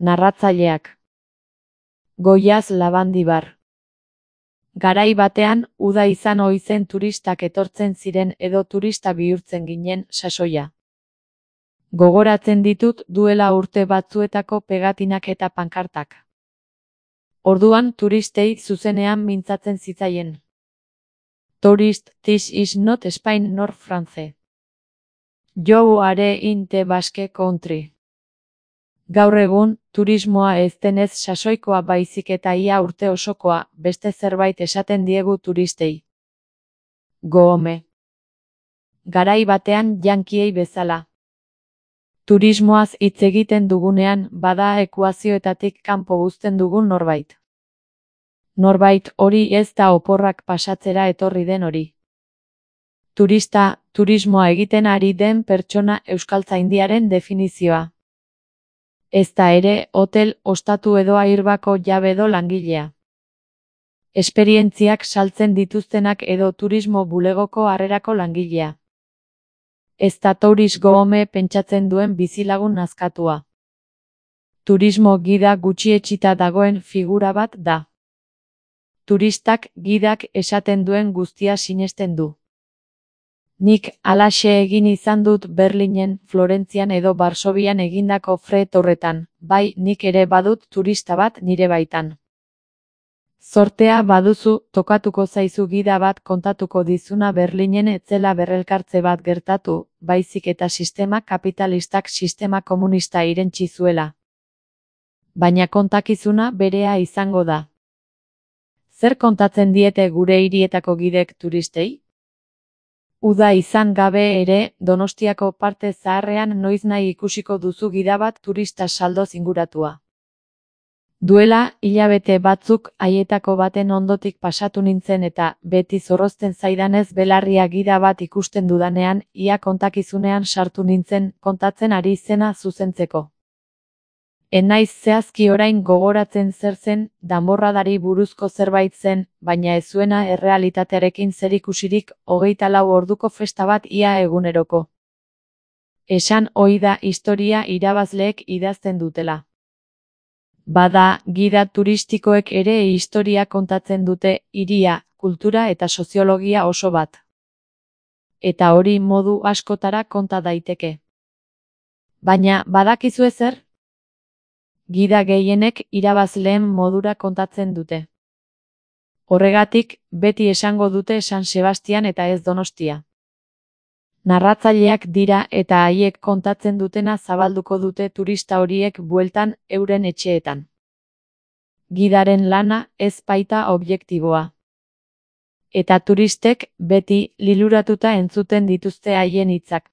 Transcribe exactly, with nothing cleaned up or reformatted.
Narratzaileak: Goiaz Labandibar. Garai batean, uda izan ohi zen turistak etortzen ziren edo turista bihurtzen ginen sasoia. Gogoratzen ditut duela urte batzuetako pegatinak eta pankartak. Orduan turistei zuzenean mintzatzen zitzaien. Tourist, this is not Spain nor France. You are in the Basque Country. Gaur egun, turismoa ez denez sasoikoa baizik eta ia urte osokoa, beste zerbait esaten diegu turistei. Goome. Garai batean jankiei bezala. Turismoaz hitz egiten dugunean, bada ekuazioetatik kanpo uzten dugun norbait. Norbait hori ez da oporrak pasatzera etorri den hori. Turista, turismoa egiten ari den pertsona euskaltzaindiaren definizioa. Ez da ere, hotel, ostatu edo airbako jabe edo langilea. Esperientziak saltzen dituztenak edo turismo bulegoko harrerako langilea. Ez da tourist goome pentsatzen duen bizilagun nazkatua. Turismo gida gutxietsita dagoen figura bat da. Turistak gidak esaten duen guztia sinesten du. Nik halaxe egin izan dut Berlinen, Florentzian edo Varsovian egindako fret horretan, bai nik ere badut turista bat nire baitan. Zortea baduzu, tokatuko zaizu gida bat kontatuko dizuna Berlinen etzela berrelkartze bat gertatu, baizik eta sistema kapitalistak sistema komunista irentsi zuela. Baina kontakizuna berea izango da. Zer kontatzen diete gure hirietako gidek turistei? Uda izan gabe ere, Donostiako parte zaharrean noiznahi ikusiko duzu gida bat turista saldoz inguratua. Duela, hilabete batzuk haietako baten ondotik pasatu nintzen eta, beti zorrozten zaidanez belarria gida bat ikusten dudanean, ia kontakizunean sartu nintzen, kontatzen ari zena zuzentzeko. Enaiz zehazki orain gogoratzen zer zen, danborradari buruzko zerbait zen, baina ez zuena errealitatearekin zerikusirik, hogeita lau orduko festa bat ia eguneroko. Esan ohi da historia irabazleek idazten dutela. Bada, gida turistikoek ere historia kontatzen dute, hiria, kultura eta soziologia oso bat. Eta hori modu askotara konta daiteke. Baina, badakizu ezer? Gida gehienek irabazleen modura kontatzen dute. Horregatik, beti esango dute San Sebastian eta ez Donostia. Narratzaileak dira eta haiek kontatzen dutena zabalduko dute turista horiek bueltan euren etxeetan. Gidaren lana ez baita objektiboa. Eta turistek beti liluratuta entzuten dituzte haien hitzak.